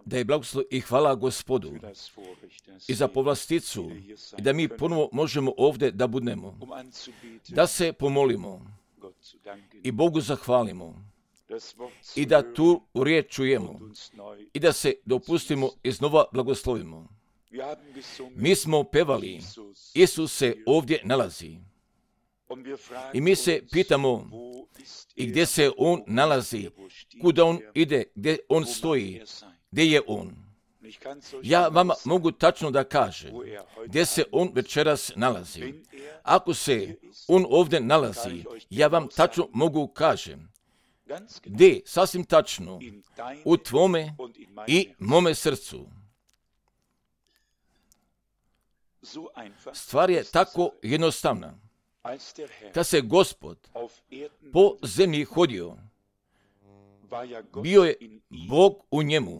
Da je blagoslov i hvala Gospodu i za povlasticu i da mi ponovo možemo ovdje da budemo, da se pomolimo i Bogu zahvalimo i da tu riječ čujemo i da se dopustimo iznova blagoslovimo. Mi smo pevali, Isus se ovdje nalazi. I mi se pitamo i gdje se on nalazi, kuda on ide, gdje on stoji, gdje je on. Ja vama mogu tačno da kažem gdje se on večeras nalazi. Ako se on ovdje nalazi, ja vam tačno mogu kažem gdje, sasvim tačno, u tvome i mome srcu. Stvar je tako jednostavna. Kad se Gospod po zemlji hodio, bio je Bog u njemu,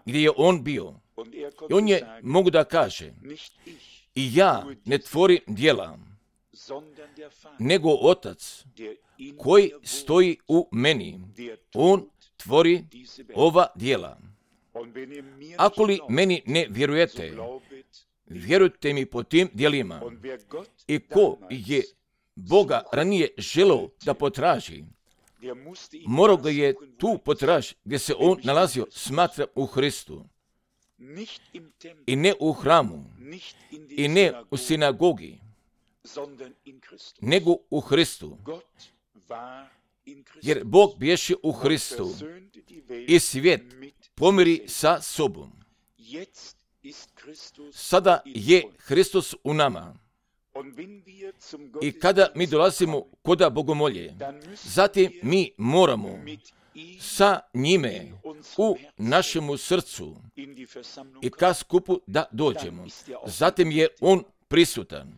gdje je on bio. I on je, mogu da kaže, i ja ne tvorim djela, nego Otac koji stoji u meni, on tvori ova djela. Ako li meni ne vjerujete, vjerujte mi po tim djelima. I ko je Boga ranije želeo da potraži, morao ga je tu potražiti gdje se on nalazio, smatra u Hristu. I ne u hramu, i ne u sinagogi, nego u Hristu. Jer Bog bješe u Hristu i svijet pomiri sa sobom. Sada je Hristos u nama. I kada mi dolazimo koda Bogomolje, zatim mi moramo sa njime u našemu srcu i ka skupu da dođemo. Zatim je on prisutan.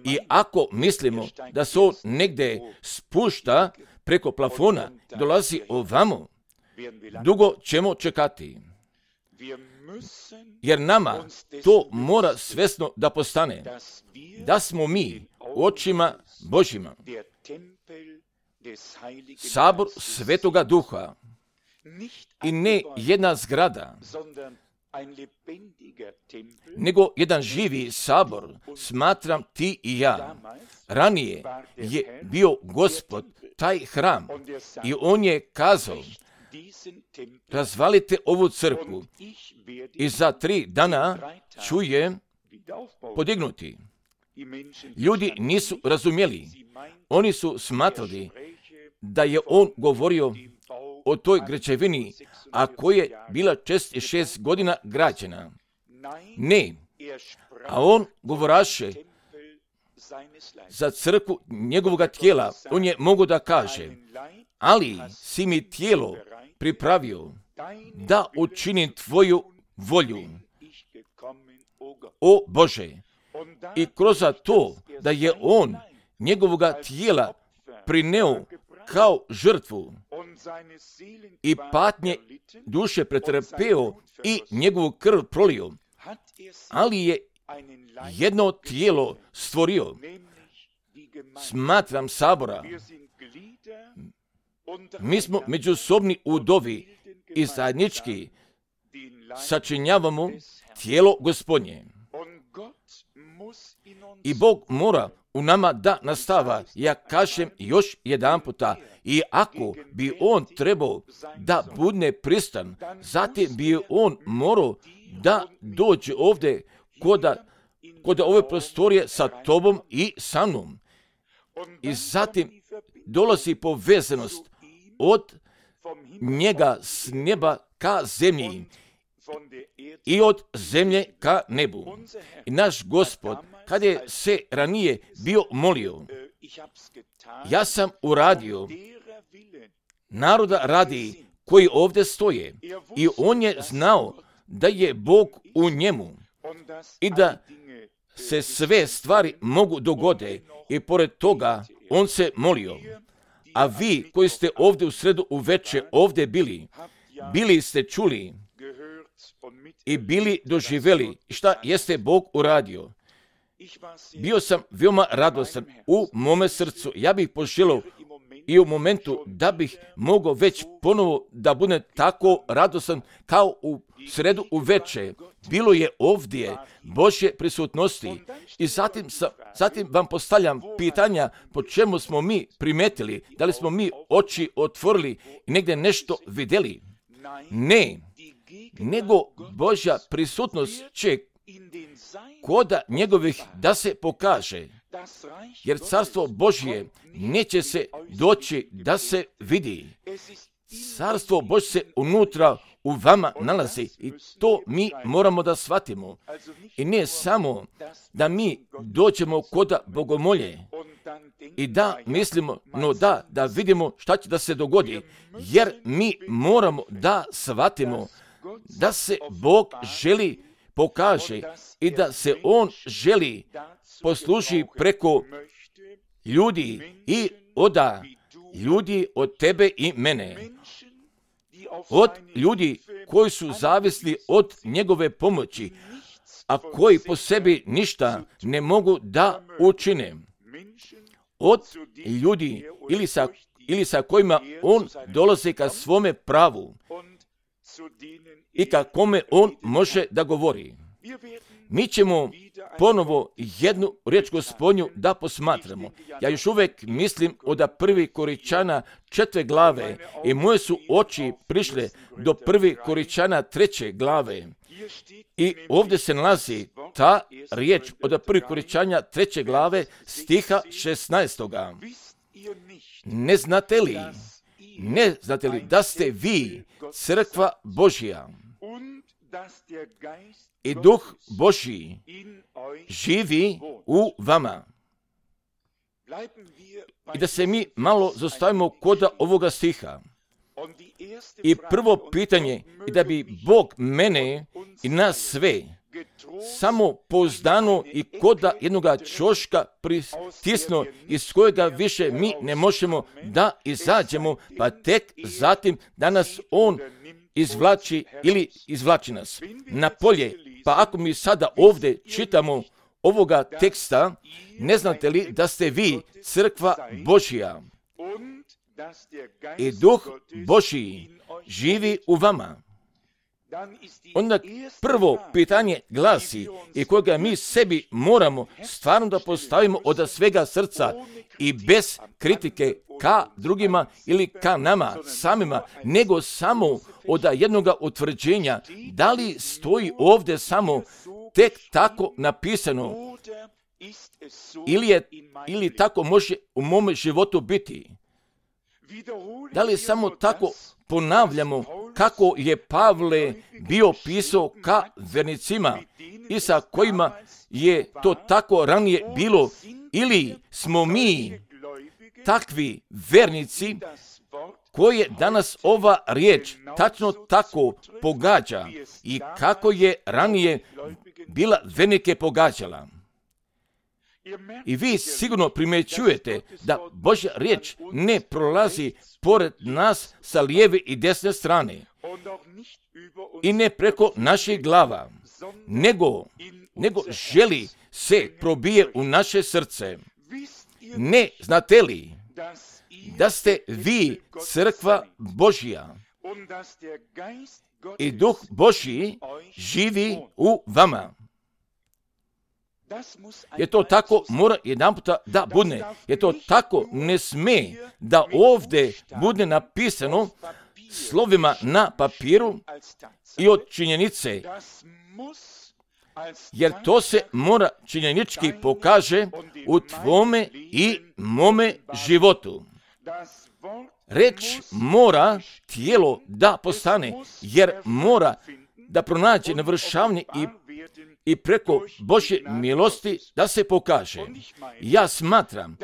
I ako mislimo da se on negdje spušta preko plafona, dolazi ovamo, dugo ćemo čekati. Jer nama to mora svjesno da postane, da smo mi u očima Božjima sabor Svetoga Duha i ne jedna zgrada, nego jedan živi sabor, smatram ti i ja. Ranije je bio Gospod taj hram i on je kazao, razvalite ovu crkvu i za 3 dana ću je podignuti. Ljudi nisu razumjeli. Oni su smatrali da je on govorio o toj građevini, a koja je bila 6 godina građena. Ne, a on govoraše za crkvu njegovog tijela. On je mogo da kaže, ali si mi tijelo pripravio da učinim tvoju volju, o Bože. I kroz to da je on njegovoga tijela prineo kao žrtvu i patnje duše pretrpeo i njegovu krv prolio, ali je jedno tijelo stvorio, smatram sabora. Mi smo međusobni udovi i zajednički sačinjavamo tijelo Gospodnje. I Bog mora u nama da nastava, ja kažem još jedan puta, i ako bi on trebao da budne pristan, zatim bi on morao da dođe ovdje kod ove prostorije sa tobom i sa mnom. I zatim dolazi povezanost od njega s neba ka zemlji i od zemlje ka nebu. I naš Gospod, kad je se ranije bio molio, ja sam uradio naroda radi koji ovdje stoje, i on je znao da je Bog u njemu i da se sve stvari mogu dogode, i pored toga on se molio. A vi koji ste ovdje u sredu uveče ovdje bili ste čuli i bili doživjeli šta jeste Bog uradio. Bio sam veoma radostan u mome srcu. Ja bih poželio i u momentu da bih mogao već ponovo da budem tako radosan kao u sredu uveče. Bilo je ovdje Božje prisutnosti i zatim vam postavljam pitanja po čemu smo mi primetili, da li smo mi oči otvorili i negdje nešto vidjeli. Ne, nego Božja prisutnost će koda njegovih da se pokaže, jer carstvo Božje neće se doći da se vidi. Carstvo Božje se unutra u vama nalazi i to mi moramo da shvatimo. I ne samo da mi dođemo koda bogomolje i da mislimo, no da vidimo šta će da se dogodi, jer mi moramo da shvatimo da se Bog želi pokaže i da se On želi posluži preko ljudi i oda ljudi od tebe i mene, od ljudi koji su zavisni od njegove pomoći, a koji po sebi ništa ne mogu da učine, od ljudi ili sa kojima on dolazi ka svome pravu i ka kome on može da govori. Mi ćemo ponovo jednu riječ Gospodnju da posmatramo. Ja još uvijek mislim od 1. Koričana 4. glave i moje su oči prišle do 1. Koričana 3. glave. I ovdje se nalazi ta riječ od 1. Koričana 3. glave stiha 16. Ne znate li da ste vi crkva Božja i Duh Božji živi u vama? I da se mi malo zastavimo kod ovoga stiha. I prvo pitanje je da bi Bog mene i nas sve samo pouzdano i koda jednoga čoška pritisno iz kojega više mi ne možemo da izađemo, pa tek zatim da nas On izvlači ili izvlači nas na polje. Pa ako mi sada ovdje čitamo ovoga teksta, ne znate li da ste vi crkva Božja i Duh Božji živi u vama? Onda prvo pitanje glasi i kojega mi sebi moramo stvarno da postavimo od svega srca i bez kritike ka drugima ili ka nama samima, nego samo od jednoga utvrđenja da li stoji ovdje samo tek tako napisano ili tako može u mome životu biti. Da li samo tako ponavljamo kako je Pavle bio pisao ka vernicima i sa kojima je to tako ranije bilo, ili smo mi takvi vernici koje danas ova riječ tačno tako pogađa i kako je ranije bila vernike pogađala. I vi sigurno primjećujete da Božja riječ ne prolazi pored nas sa lijeve i desne strane i ne preko naših glava, nego želi se probije u naše srce. Ne znate li da ste vi crkva Božja i Duh Božji živi u vama? Je to tako mora jedan puta da bude. Je to tako ne sme da ovdje bude napisano slovima na papiru i od činjenice, jer to se mora činjenički pokaže u tvome i mome životu. Reč mora tijelo da postane, jer mora da pronađe navršavanje i preko Božje milosti da se pokaže. Ja smatram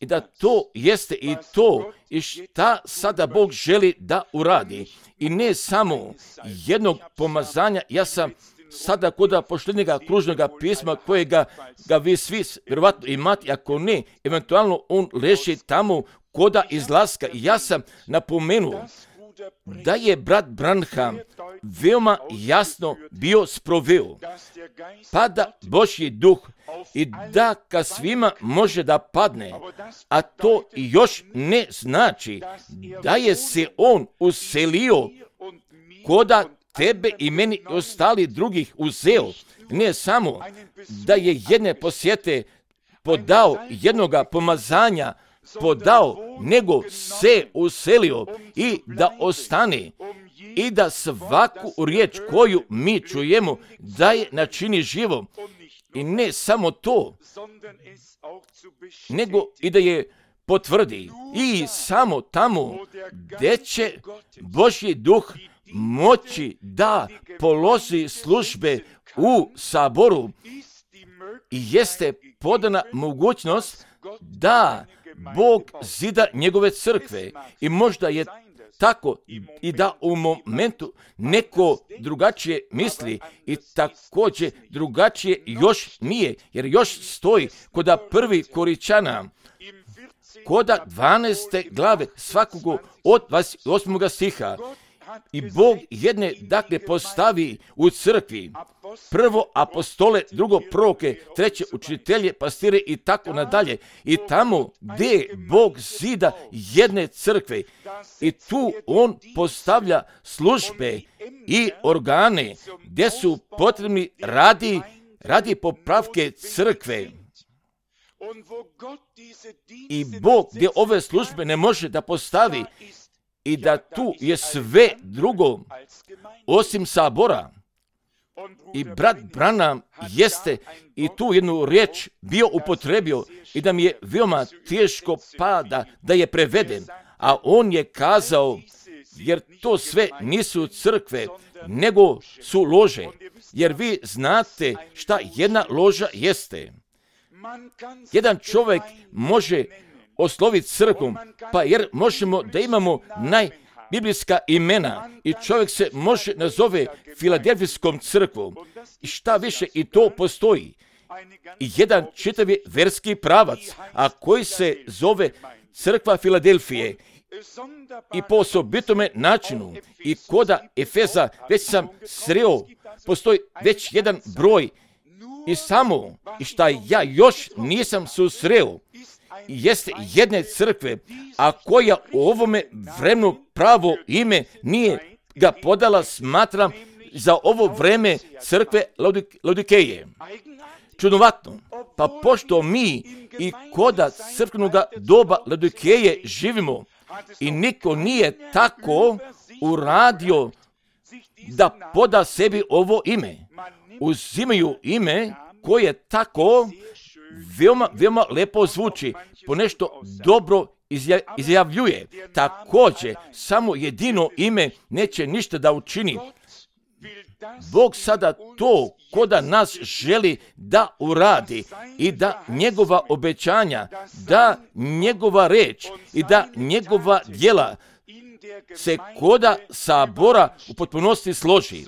i da to jeste i to i šta sada Bog želi da uradi. I ne samo jednog pomazanja, ja sam sada kod poštenjega kružnoga pisma kojega vi svi vjerovatno imate, ako ne, eventualno on leži tamo koda izlaska. I ja sam napomenuo da je brat Branham veoma jasno bio sproveo, pa da Božji duh i da ka svima može da padne, a to još ne znači da je se on uselio koda tebe i meni i ostali drugih uzeo, ne samo da je jedne posjete podao, jednoga pomazanja podao, nego se uselio i da ostane i da svaku riječ koju mi čujemo da je načini živo. I ne samo to, nego i da je potvrdi. I samo tamo gdje će Božji duh moći da položi službe u saboru, jeste podana mogućnost da Bog zida njegove crkve. I možda je tako i da u momentu neko drugačije misli i također drugačije još nije, jer još stoji koda 1. Koričana, koda 12. glave svakog od 28. stiha. I Bog jedne dakle postavi u crkvi, prvo apostole, drugo proroke, treće učitelje, pastire i tako nadalje. I tamo gdje Bog zida jedne crkve i tu on postavlja službe i organe gdje su potrebni radi popravke crkve. I Bog gdje ove službe ne može da postavi i da tu je sve drugo osim sabora. I brat Branham jeste i tu jednu riječ bio upotrebio i da mi je veoma teško pada da je preveden. A on je kazao, jer to sve nisu crkve, nego su lože. Jer vi znate šta jedna loža jeste. Jedan čovjek može osloviti crkvom, pa jer možemo da imamo najbiblijska imena i čovjek se može nazove Filadelfijskom crkvom. I šta više, i to postoji. I jedan čitavi verski pravac, a koji se zove crkva Filadelfije. I po osobitome načinu i koda Efeza, već sam sreo, postoji već jedan broj i samo, i šta ja još nisam susreo, jeste jedne crkve, a koja u ovome vremenu pravo ime nije ga podala, smatram, za ovo vreme crkve Laodikeje. Čudovatno, pa pošto mi i koda crkvenog doba Laodikeje živimo i niko nije tako uradio da poda sebi ovo ime, uzimaju ime koje tako veoma lepo zvuči, ponešto dobro izjavljuje. Također, samo jedino ime neće ništa da učini. Bog sada to koda nas želi da uradi i da njegova obećanja, da njegova reč i da njegova djela se koda sabora u potpunosti složi.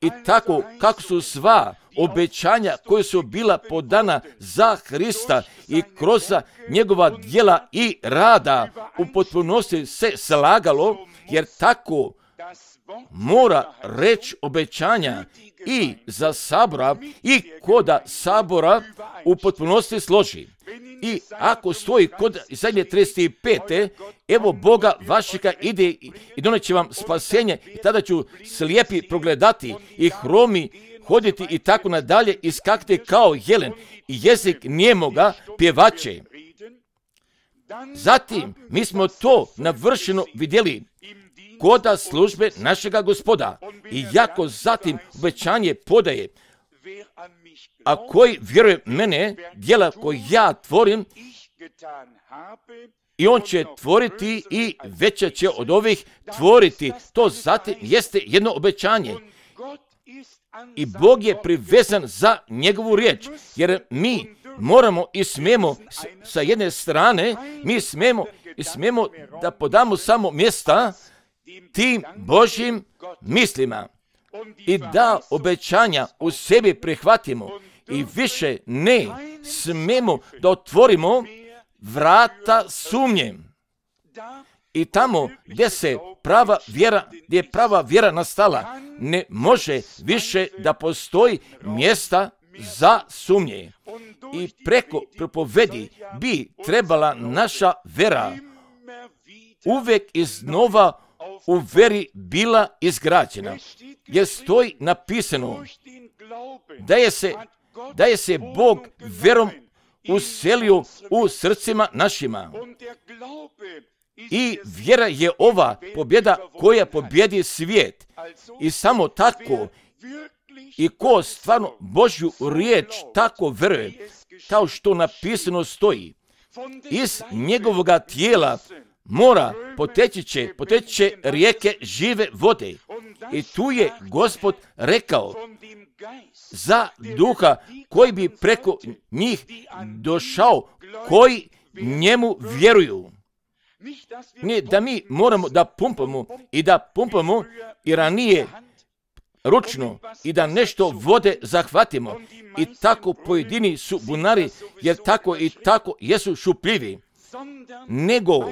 I tako kako su sva obećanja koje su bila podana za Hrista i kroz njegova djela i rada u potpunosti se slagalo, jer tako mora reći obećanja i za sabora i koda sabora u potpunosti složi. I ako stoji kod Izaije 35. evo Boga vašega ide i doneće vam spasenje i tada ću slijepi progledati i hromi hoditi i tako nadalje i skakati kao jelen i jezik nijemoga pjevače. Zatim mi smo to navršeno vidjeli koda službe našega Gospoda i jako zatim obećanje podaje, a koji vjeruje mene, djela koje ja tvorim, i on će tvoriti i veće će od ovih tvoriti. To zatim jeste jedno obećanje. I Bog je privezan za njegovu riječ, jer mi moramo i smijemo sa jedne strane, mi smijemo da podamo samo mjesta tim Božjim mislima i da obećanja u sebi prihvatimo i više ne smijemo da otvorimo vrata sumnje. I tamo gdje je prava vjera nastala, ne može više da postoji mjesta za sumnje. I preko propovedi bi trebala naša vera uvijek iznova u veri bila izgrađena. Jer stoji napisano da je se Bog verom uselio u srcima našima. I vjera je ova pobjeda koja pobjedi svijet. I samo tako, i ko stvarno Božju riječ tako veruje, kao što napisano stoji, iz njegovoga tijela mora poteći rijeke žive vode. I tu je Gospod rekao za duha koji bi preko njih došao, koji njemu vjeruju. Ne da mi moramo da pumpamo i ranije ručno i da nešto vode zahvatimo. I tako pojedini su bunari, jer tako i tako jesu šupljivi. Nego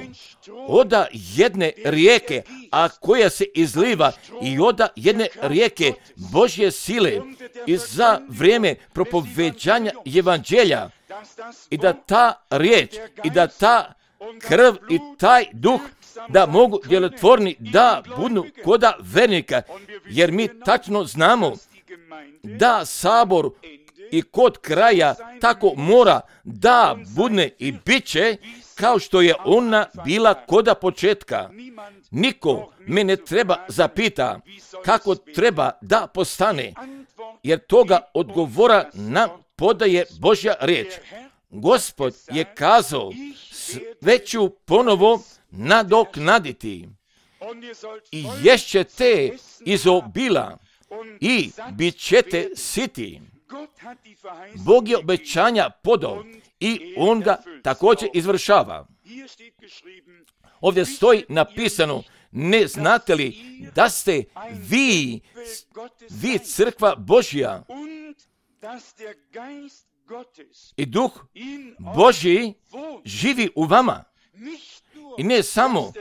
oda jedne rijeke, a koja se izliva, i oda jedne rijeke Božje sile i za vrijeme propoveđanja evanđelja, i da ta riječ i da ta krv i taj duh da mogu djelotvorni da budu koda vernika, jer mi tačno znamo da sabor i kod kraja tako mora da budne i bit će kao što je ona bila koda početka. Niko me ne treba zapita kako treba da postane, jer toga odgovora nam podaje Božja riječ. Gospod je kazao, sve ću ponovo nadoknaditi i ješćete iz obila i bit ćete siti. Bog je obećanja podao i on ga također izvršava. Ovdje stoji napisano, ne znate li da ste vi crkva Božja i duh Božji živi u vama. I ne samo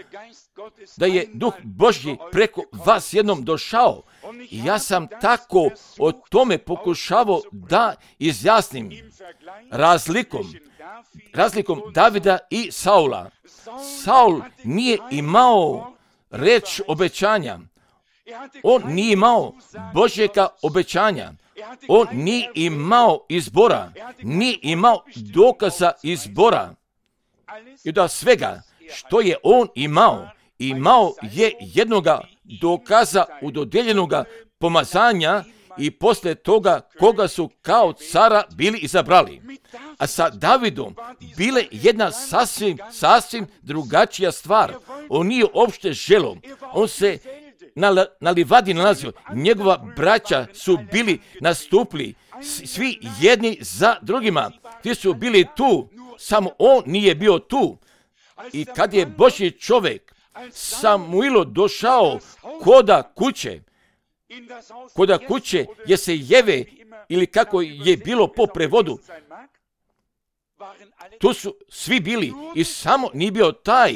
da je duh Božji preko vas jednom došao. Ja sam tako o tome pokušavao da izjasnim razlikom Davida i Saula. Saul nije imao reč obećanja. On nije imao Božjega obećanja. On nije imao izbora. Nije imao dokaza izbora. I da svega što je on imao je jednoga dokaza udodjeljenoga pomazanja i poslije toga koga su kao cara bili izabrali. A sa Davidom bile jedna sasvim drugačija stvar. On nije uopšte želio. On se na livadi nalazio. Njegova braća su bili nastupili, svi jedni za drugima. Ti su bili tu, samo on nije bio tu. I kad je Božji čovjek Samuilo došao koda kuće je se jeve, ili kako je bilo po prevodu, tu su svi bili i samo nije bio taj,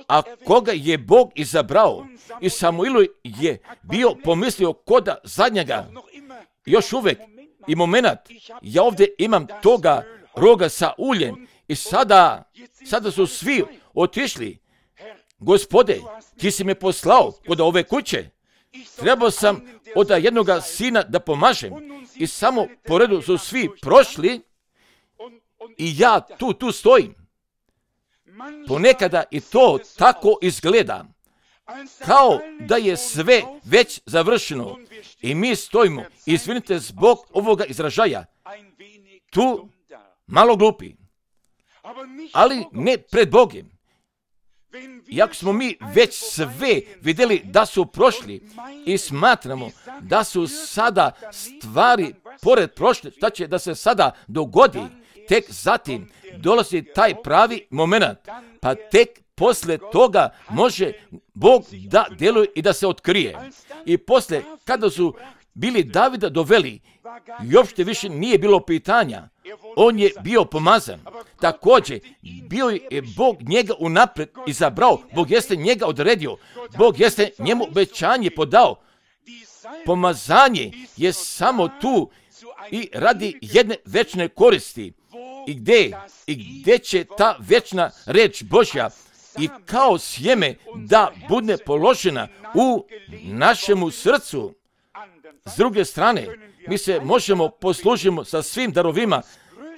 a koga je Bog izabrao. I Samuilo je bio pomislio koda zadnjega. Još uvijek i moment, ja ovdje imam toga roga sa uljem i sada su svi otišli. Gospode, ti si me poslao kod ove kuće. Trebao sam od jednoga sina da pomažem. I samo po redu su svi prošli i ja tu stojim. Ponekada i to tako izgleda. Kao da je sve već završeno. I mi stojimo, izvinite zbog ovoga izražaja, tu malo glupi. Ali ne pred Bogom. Iako smo mi već sve vidjeli da su prošli i smatramo da su sada stvari pored prošle, šta će da se sada dogodi, tek zatim dolazi taj pravi moment, pa tek poslije toga može Bog da djeluje i da se otkrije. I poslije, kada su bili Davida doveli, i uopšte više nije bilo pitanja. on je bio pomazan. Također, bio je Bog njega unaprijed izabrao, Bog jeste njega odredio, Bog jeste njemu obećanje podao. Pomazanje je samo tu i radi jedne večne koristi. I gdje će ta večna reč Božja i kao sjeme da bude položena u našemu srcu. S druge strane, mi se možemo poslužimo sa svim darovima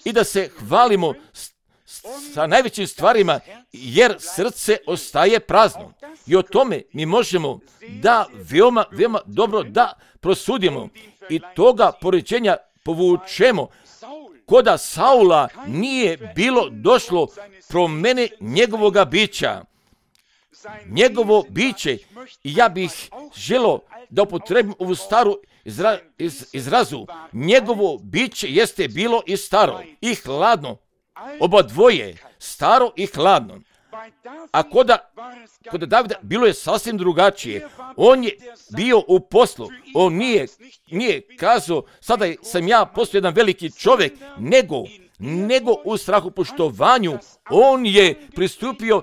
i da se hvalimo sa najvećim stvarima, jer srce ostaje prazno. I o tome mi možemo da veoma dobro da prosudimo i toga poređenja povučemo. Koda Saula nije bilo došlo promjene njegovoga bića. Njegovo biće, i ja bih želio da upotrebim ovu staru izrazu, njegovo biće jeste bilo i staro i hladno. Oba dvoje, staro i hladno. A kod Davida bilo je sasvim drugačije. On je bio u poslu. On nije kazao, sada sam ja postao jedan veliki čovjek, nego u strahopoštovanju on je pristupio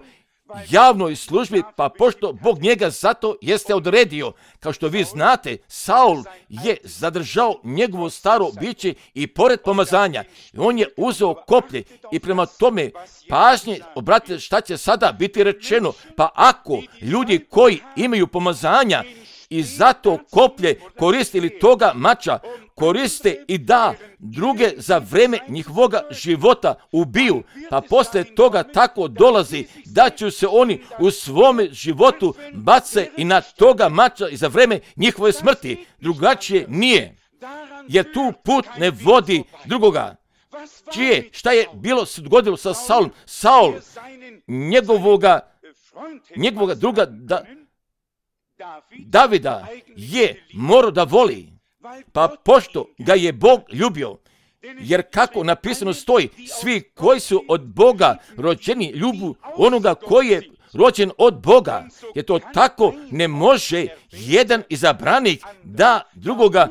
javnoj službi, pa pošto Bog njega zato jeste odredio. Kao što vi znate, Saul je zadržao njegovo staro biće i pored pomazanja. On je uzeo koplje i prema tome pažnje obratite šta će sada biti rečeno. Pa ako ljudi koji imaju pomazanja i zato koplje koristili toga mača, koriste i da druge za vreme njihovoga života ubiju, pa poslije toga tako dolazi da će se oni u svome životu bace i na toga mača i za vreme njihove smrti. Drugačije nije, jer tu put ne vodi drugoga. Šta je bilo se dogodilo sa Saulom? Saul, njegovoga druga Davida je morao da voli, pa pošto ga je Bog ljubio, jer kako napisano stoji, svi koji su od Boga rođeni ljubu onoga koji je rođen od Boga, jer to tako ne može jedan izabranik da drugoga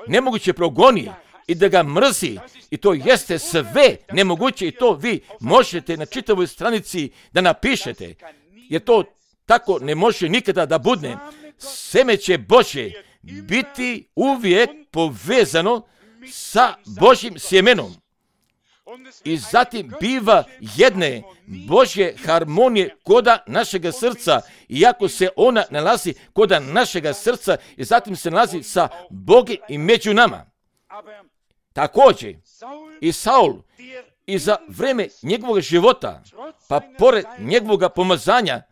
nemoguće progoni i da ga mrzi, i to jeste sve nemoguće, i to vi možete na čitavoj stranici da napišete, jer to tako ne može nikada da bude. Seme će Božje biti uvijek povezano sa Božjim sjemenom. I zatim biva jedne Božje harmonije koda našega srca, iako se ona nalazi koda našega srca i zatim se nalazi sa Bogom i među nama. Također i Saul i za vreme njegovog života, pa pored njegovog pomazanja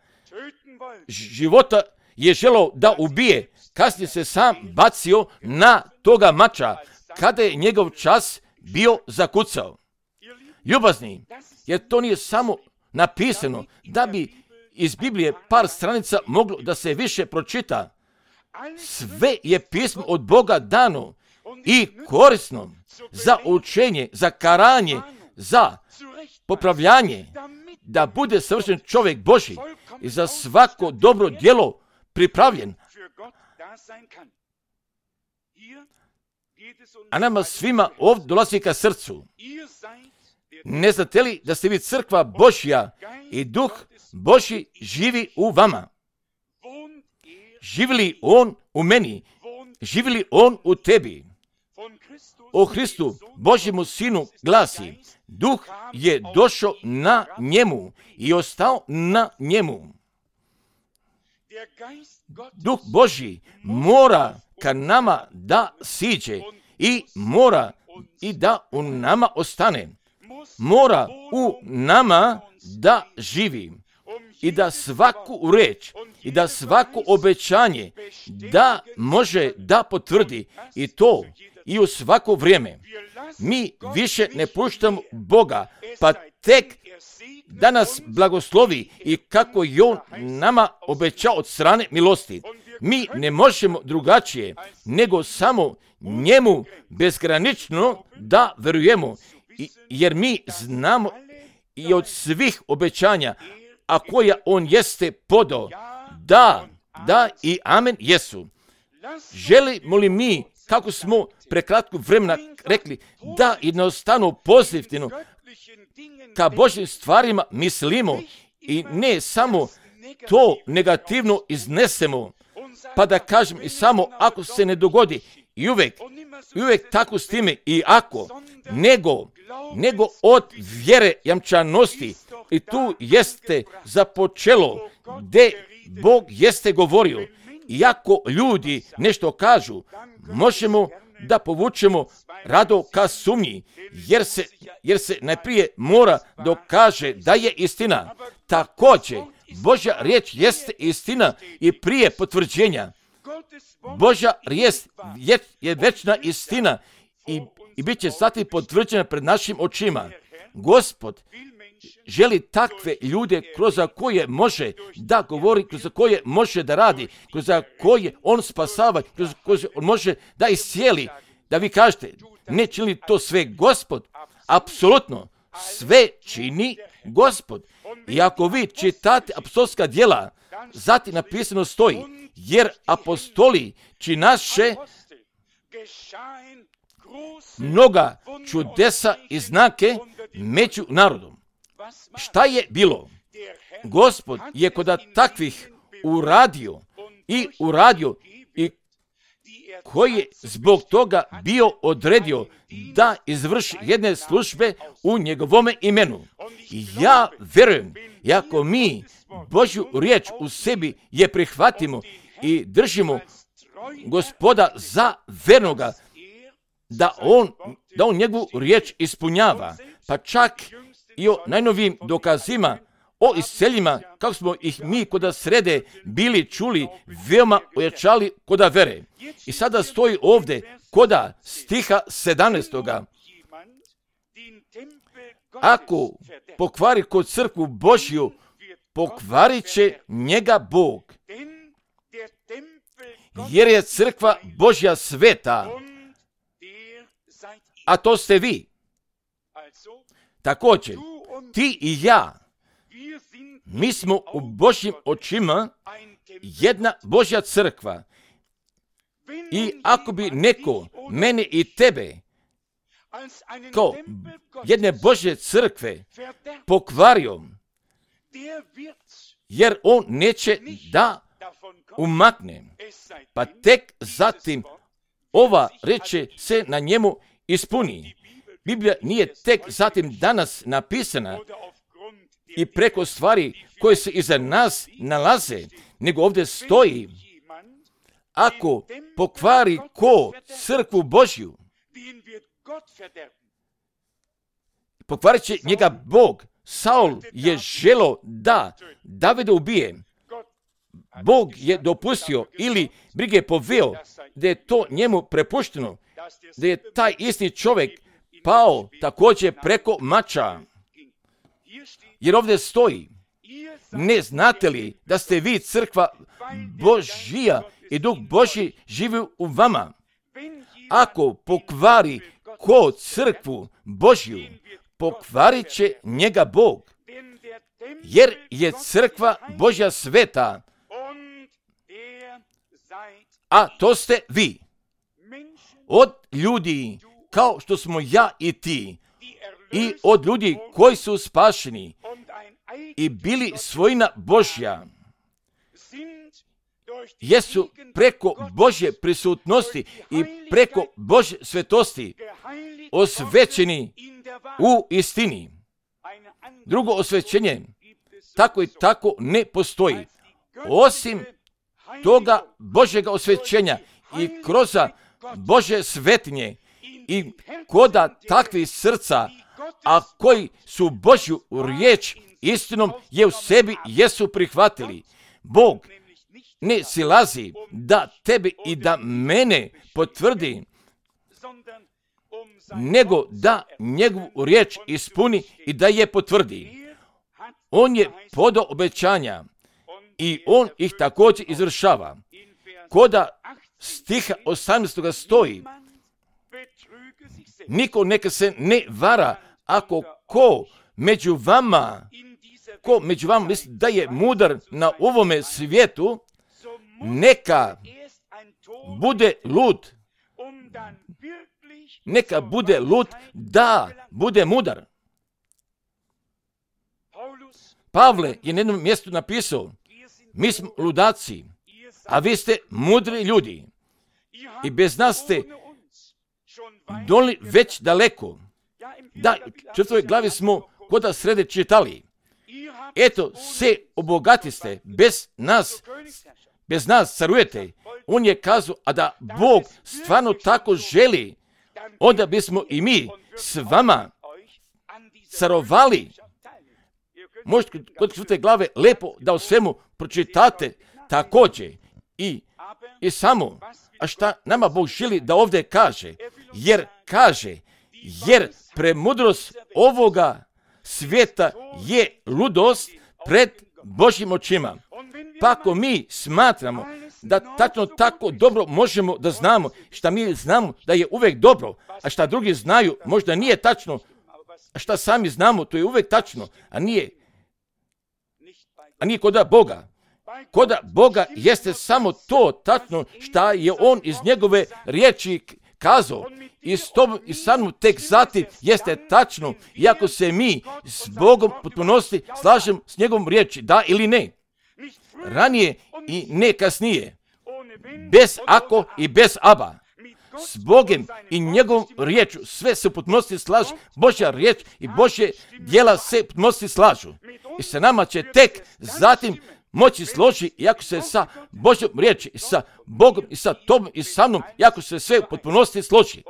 života je želeo da ubije, kasnije se sam bacio na toga mača kada je njegov čas bio zakucao. Ljubazni, jer to nije samo napisano da bi iz Biblije par stranica moglo da se više pročita. Sve je pismo od Boga dano i korisno za učenje, za karanje, za popravljanje, da bude savršen čovjek Božji i za svako dobro djelo pripravljen. A nama svima ovdje dolazi ka srcu. Ne znate li da ste vi crkva Božja i Duh Božji živi u vama? Živi li On u meni? Živi li On u tebi? O Hristu, Božjemu Sinu, glasi: Duh je došao na njemu i ostao na njemu. Duh Božji mora ka nama da siđe i mora i da u nama ostane. Mora u nama da živi i da svaku reč i da svako obećanje da može da potvrdi, i to i u svako vrijeme. Mi više ne puštamo Boga, pa tek da nas blagoslovi i kako je On nama obećao od strane milosti. Mi ne možemo drugačije nego samo njemu bezgranično da verujemo, jer mi znamo i od svih obećanja, a koja On jeste podao, da i amen jesu. Želimo li mi, kako smo prekratko vremena rekli da jednostavno pozitivno ka Božjim stvarima mislimo i ne samo to negativno iznesemo, pa da kažem i samo ako se ne dogodi i uvijek tako s time i ako, nego od vjere jamčanosti i tu jeste započelo gdje Bog jeste govorio. Iako ljudi nešto kažu, možemo da povučemo rado ka sumnji, jer se najprije mora dokaže da je istina. Također, Božja riječ jeste istina i prije potvrđenja. Božja riječ je večna istina i bit će zatim potvrđena pred našim očima. Gospod želi takve ljude kroz koje može da govori, kroz koje može da radi, kroz koje on spasava, kroz koje on može da iscijeli. Da vi kažete, ne čini to sve Gospod? Apsolutno, sve čini Gospod. I ako vi čitate apostolska djela, zatim napisano stoji, jer apostoli činaše mnoga čudesa i znake među narodom. Šta je bilo? Gospod je kod takvih uradio i koji je zbog toga bio odredio da izvrši jedne službe u njegovome imenu. I ja verujem, ako mi Božju riječ u sebi je prihvatimo i držimo Gospoda za vernoga, da on njegovu riječ ispunjava, pa čak i o najnovijim dokazima, o isceljima, kako smo ih mi koda srede bili čuli, veoma ojačali koda vere. I sada stoji ovdje koda stiha 17. Ako pokvari kod crkvu Božju, pokvarit će njega Bog. Jer je crkva Božja sveta, a to ste vi. Također, ti i ja, mi smo u Božjim očima jedna Božja crkva. I ako bi neko mene i tebe kao jedne Božje crkve pokvario, jer on neće da umakne, pa tek zatim ova reče se na njemu ispuni. Biblija nije tek zatim danas napisana i preko stvari koje se iza nas nalaze, nego ovdje stoji, ako pokvari ko crkvu Božju, pokvarit će njega Bog. Saul je želo da Davida ubije. Bog je dopustio ili brige poveo da je to njemu prepušteno, da je taj isti čovjek pao također preko mača. Jer ovdje stoji, ne znate li da ste vi crkva Božija i Duh Božji živi u vama? Ako pokvari ko crkvu Božju, pokvarit će njega Bog. Jer je crkva Božja sveta, a to ste vi. Od ljudi kao što smo ja i ti, i od ljudi koji su spašeni i bili svojina Božja, jesu preko Božje prisutnosti i preko Božje svetosti osvećeni u istini. Drugo osvećenje tako i tako ne postoji. Osim toga Božjega osvećenja i kroz Božje svetinje i koda takvih srca, a koji su Božju riječ istinom je u sebi jesu prihvatili. Bog ne silazi da tebe i da mene potvrdi, nego da njegovu riječ ispuni i da je potvrdi. On je podao obećanja i on ih također izvršava. Koda stiha 18. stoji, niko neka se ne vara, ako ko među vama misli da je mudar na ovome svijetu, neka bude lud neka bude lud da bude mudar. Pavle je na jednom mjestu napisao, mi smo ludaci, a vi ste mudri ljudi. I bez nas ste doli već daleko. Da, u 4. glavi smo koda srede čitali. Eto, se obogatiste, bez nas carujete. On je kazao, a da Bog stvarno tako želi, onda bismo i mi s vama carovali. Možete kod 4. glave lepo da o svemu pročitate također i samo. A šta nama Bog želi da ovdje kaže? Jer premudrost ovoga svijeta je ludost pred Božjim očima. Pa ako mi smatramo da tačno tako dobro možemo da znamo, šta mi znamo da je uvijek dobro, a šta drugi znaju možda nije tačno, a šta sami znamo to je uvijek tačno, a nije koda Boga. Koda Boga jeste samo to tačno šta je On iz njegove riječi kazao. I sa mnom tek zatim jeste tačno, iako se mi s Bogom potpunosti slažemo s njegovom riječi, da ili ne. Ranije i ne kasnije. Bez ako i bez aba. S Bogom i njegovom riječu sve se u potpunosti slažu. Božja riječ i Božje djela se u potpunosti slažu. I sa nama će tek zatim moći složi, iako se sa Božjom riječi, i sa Bogom, i sa tobom, i sa mnom, iako se sve u potpunosti složi.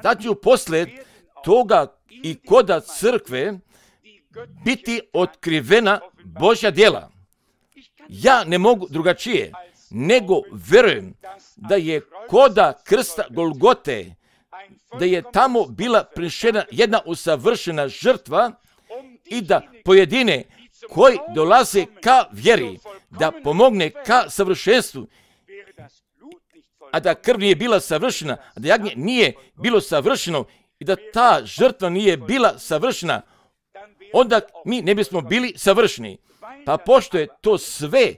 Da će poslije toga i koda crkve biti otkrivena Božja djela. Ja ne mogu drugačije, nego vjerujem da je koda krsta Golgote, da je tamo bila prinešena jedna usavršena žrtva i da pojedine koji dolaze ka vjeri, da pomogne ka savršenstvu, a da krv nije bila savršena, a da jagnje nije bilo savršeno i da ta žrtva nije bila savršena, onda mi ne bismo bili savršeni. Pa pošto je to sve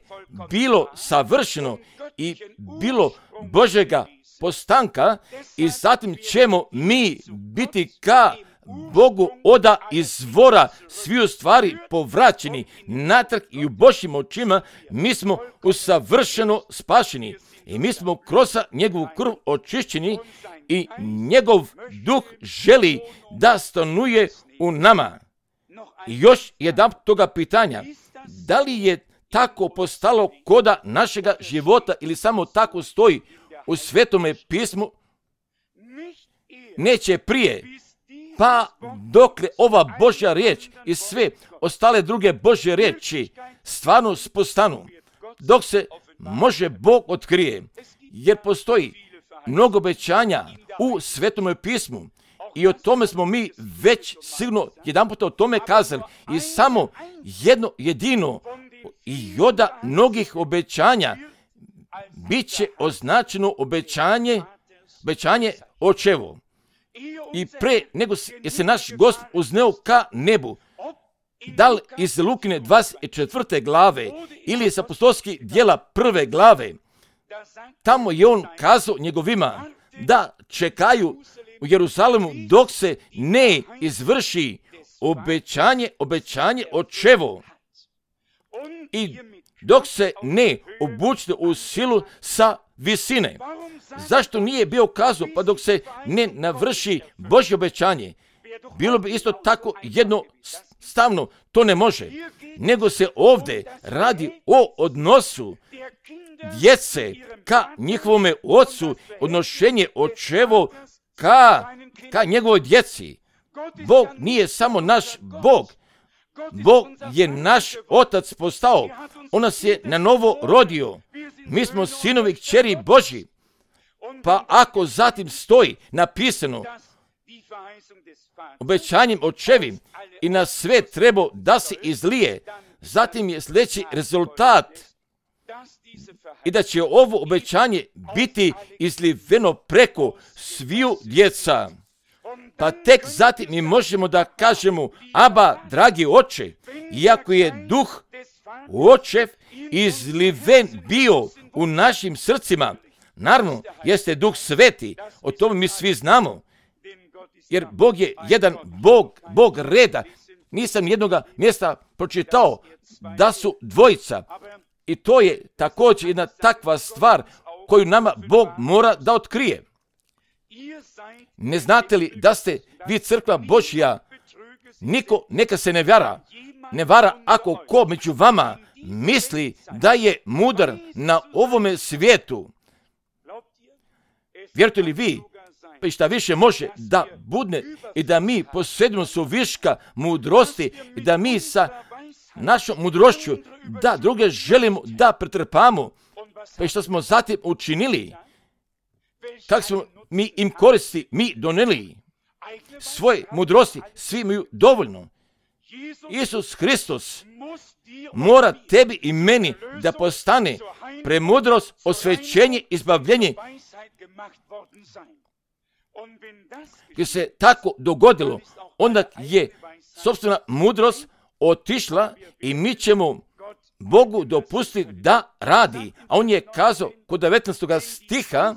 bilo savršeno i bilo Božjega postanka, i zatim ćemo mi biti ka Bogu oda izvora sviju stvari povraćeni natrag i u Božjim očima mi smo usavršeno spašeni. I mi smo kroz njegovu krv očišćeni i njegov duh želi da stanuje u nama. I još jedan toga pitanja, da li je tako postalo koda našega života ili samo tako stoji u Svetome pismu? Neće prije, pa dokle ova Božja riječ i sve ostale druge Božje riječi stvarno postanu, dok se može Bog otkrije, jer postoji mnogo obećanja u Svetome pismu i o tome smo mi već sigurno jedanput o tome kazali i samo jedno jedino i od mnogih obećanja bit će označeno obećanje očevo. I pre nego je se naš Gospod uzneo ka nebu, da li iz Lukine 24. glave ili iz apostolskih djela 1. glave, tamo je on kazao njegovima da čekaju u Jeruzalemu dok se ne izvrši obećanje očevo i dok se ne obučite u silu sa visine. Zašto nije bio kazao, pa dok se ne navrši Božje obećanje? Bilo bi isto tako jednostavno, to ne može. Nego se ovdje radi o odnosu djece ka njihovome ocu, odnošenje očevo ka njegovoj djeci. Bog nije samo naš Bog. Bog je naš Otac postao. On nas je na novo rodio. Mi smo sinovi i kćeri Božji. Pa ako zatim stoji napisano obećanjem očevim i na sve treba da se izlije, zatim je sljedeći rezultat i da će ovo obećanje biti izliveno preko sviju djeca. Pa tek zatim mi možemo da kažemo, Aba, dragi oče, iako je duh očev izliven bio u našim srcima, Naravno, jeste Duh Sveti, o tome mi svi znamo, jer Bog je jedan Bog reda. Nisam jednoga mjesta pročitao da su dvojica. I to je također jedna takva stvar koju nama Bog mora da otkrije. Ne znate li da ste vi crkva Božja? Niko neka se ne vara ako ko među vama misli da je mudar na ovome svijetu. Vjerujete li vi, pa i šta više može da budne i da mi posjedimo su viška mudrosti i da mi sa našom mudrošću da druge želimo da pretrpamo, pa i što smo zatim učinili, kako smo mi im koristi, mi doneli svoje mudrosti, svi imaju dovoljno. Isus Hristos mora tebi i meni da postane premudrost, osvećenje, izbavljenje. Jer se tako dogodilo, onda je sopstvena mudrost otišla i mi ćemo Bogu dopustiti da radi. A on je kazao kod 19. stiha,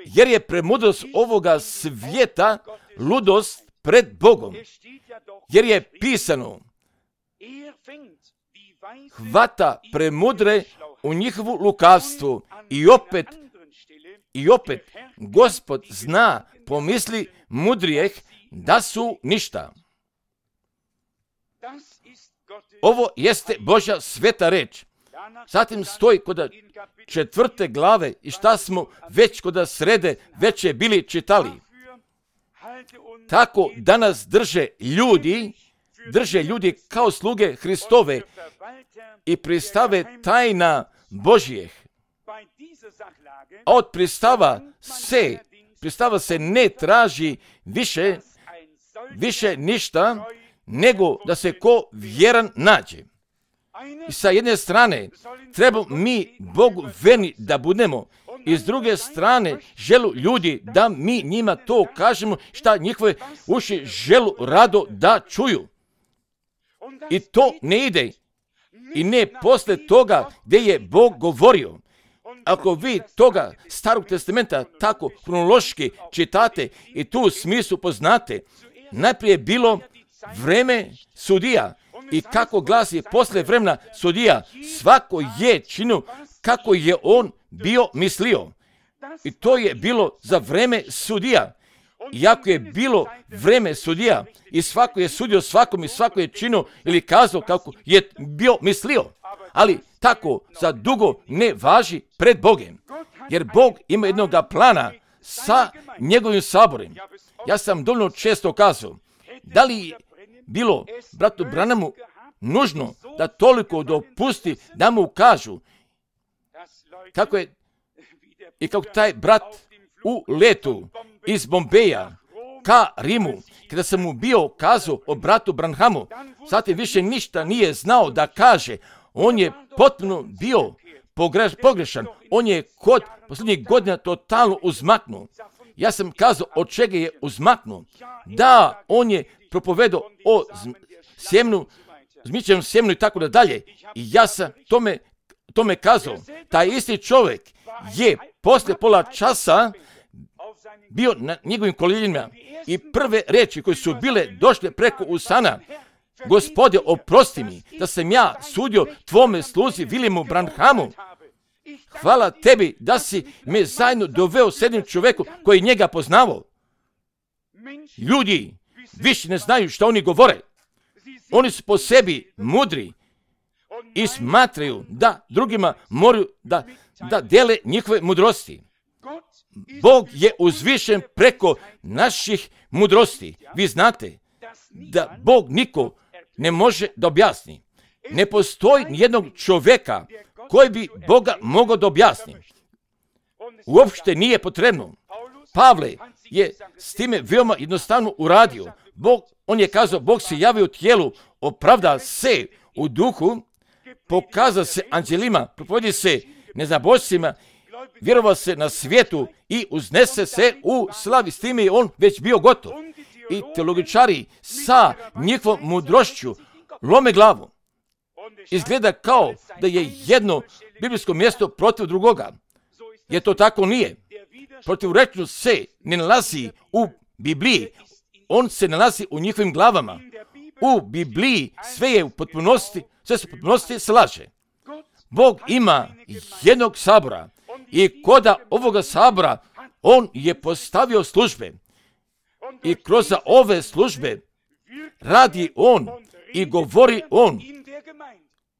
jer je premudrost ovoga svijeta ludost pred Bogom. Jer je pisano, hvata premudre u njihovu lukavstvu i opet Gospod zna pomisli mudrijeh da su ništa. Ovo jeste Božja sveta reč. Zatim stoji kod 4. glave i šta smo već kod srede već je bili čitali. Tako danas drže ljudi kao sluge Hristove i pristave tajna Božjeh. A od pristava se ne traži više ništa nego da se ko vjeran nađe. I sa jedne strane treba mi Bogu verni da budemo, i s druge strane želu ljudi da mi njima to kažemo šta njihove uši želu rado da čuju. I to ne ide i ne posle toga gdje je Bog govorio. Ako vi toga Starog testamenta tako kronološki čitate i tu smislu poznate, najprije je bilo vreme sudija i kako glasi posle vremena sudija, svako je činio kako je on bio mislio. I to je bilo za vreme sudija. Iako je bilo vreme sudija i svako je sudio svakom i svako je činio ili kazao kako je bio mislio. Ali tako za dugo ne važi pred Bogom. Jer Bog ima jednog plana sa njegovim saborem. Ja sam dovoljno često kazao, da li bilo bratu Branamu nužno da toliko dopusti da mu kažu kako je i kako taj brat u letu iz Bombeja ka Rimu, kada sam mu bio kazao o bratu Branhamu, zatim više ništa nije znao da kaže. On je potpuno bio pogrešan. On je kod posljednjih godina totalno uzmaknuo. Ja sam kazao od čega je uzmaknuo. Da, on je propovedao o sjemnu, zmičenom sjemnu i tako da dalje. I ja sam tome kazao. Taj isti čovjek je poslije pola časa bio na njegovim koljenima i prve riječi koje su bile došle preko usana: Gospode, oprosti mi da sam ja sudio tvome sluzi Williamu Branhamu. Hvala tebi da si me zajedno doveo s jednim čovjekom koji njega poznavao. Ljudi više ne znaju što oni govore. Oni su po sebi mudri i smatraju da drugima moraju da dele njihove mudrosti. Bog je uzvišen preko naših mudrosti. Vi znate da Bog niko ne može da objasni. Ne postoji nijednog čovjeka koji bi Boga mogao da objasni. Uopšte nije potrebno. Pavle je s time veoma jednostavno uradio. On je kazao, Bog se javio u tijelu, opravda se u duhu, pokaza se anđelima, propovedi se nezabožcima, vjerovao se na svijetu i uznese se u slavi. S time je on već bio gotov. I teologičari sa njihovom mudrošću lome glavu. Izgleda kao da je jedno biblijsko mjesto protiv drugoga. Jer to tako nije. Protivrečnost se ne nalazi u Bibliji, on se nalazi u njihovim glavama. U Bibliji sve je u potpunosti, sve se u potpunosti slaže. Bog ima jednog sabora i koda ovoga sabora on je postavio službe i kroz ove službe radi on i govori on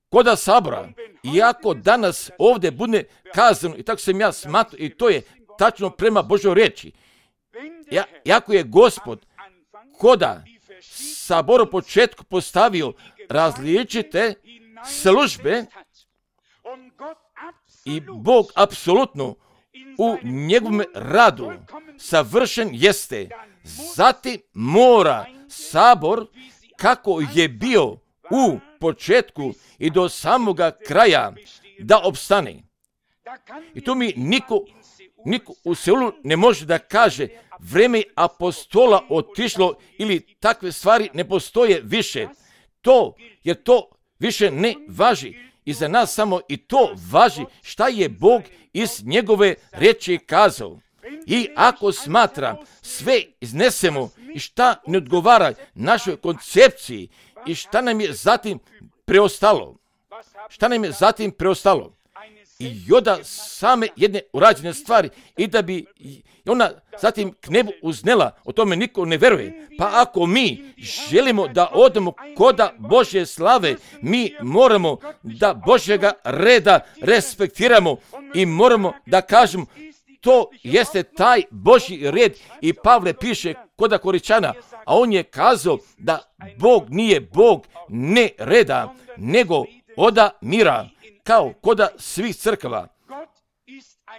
koda sabora. Iako danas ovdje bude kazano, i tako sam ja smatrao, i to je tačno prema Božoj riječi, jako je Gospod koda sabor u početku postavio različite službe i Bog apsolutno u njegovom radu savršen jeste. Zatim mora sabor kako je bio u početku i do samoga kraja da opstane. I tu mi niko u Seulu ne može da kaže vreme apostola otišlo ili takve stvari ne postoje više. Jer to više ne važi. I za nas samo i to važi šta je Bog iz njegove riječi kazao. I ako smatra sve iznesemo i šta ne odgovara našoj koncepciji i šta nam je zatim preostalo. I onda same jedne urađene stvari i da bi ona zatim k nebu uznela, o tome niko ne veruje. Pa ako mi želimo da odemo koda Božje slave, mi moramo da Božjega reda respektiramo i moramo da kažemo to jeste taj Božji red. I Pavle piše koda Koričana, a on je kazao da Bog nije Bog ne reda, nego oda mira, kao koda svih crkava.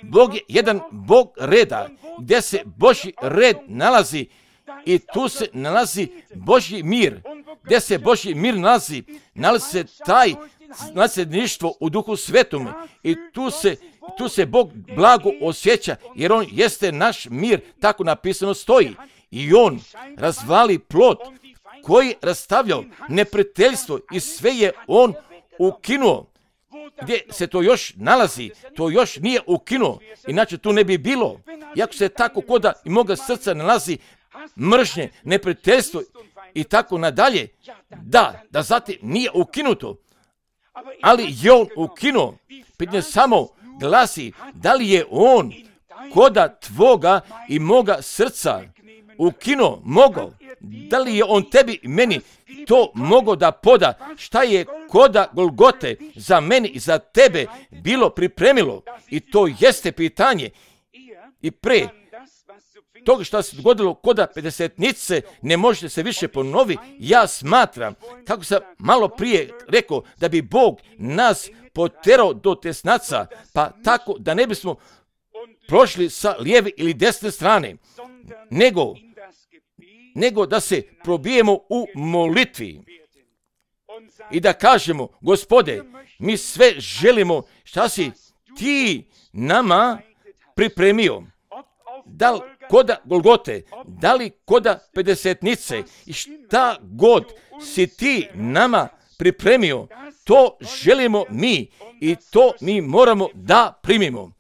Bog je jedan Bog reda, gdje se Božji red nalazi i tu se nalazi Božji mir. Gdje se Božji mir nalazi se taj nasljedništvo u Duhu Svetome i tu se Bog blago osjeća, jer on jeste naš mir, tako napisano stoji. I on razvali plot koji je rastavljao neprijateljstvo i sve je on ukinuo. Gdje se to još nalazi, to još nije ukinuo, inače tu ne bi bilo. Iako se tako koda i moga srca nalazi mržnje, neprijateljstvo i tako nadalje, da zatim nije ukinuto, ali je on ukinuo. Pitanje samo glasi, da li je on koda tvoga i moga srca ukinuo, mogao? Da li je on tebi i meni to mogao da poda, šta je koda Golgote za meni i za tebe bilo pripremilo? I to jeste pitanje. I pre toga što se dogodilo koda pedesetnice ne može se više ponovi. Ja smatram, kako sam malo prije rekao, da bi Bog nas poterao do tesnaca, pa tako da ne bismo prošli sa lijeve ili desne strane, nego da se probijemo u molitvi i da kažemo, Gospode, mi sve želimo šta si ti nama pripremio. Da li koda Golgote, da li koda pedesetnice i šta god si ti nama pripremio, to želimo mi i to mi moramo da primimo.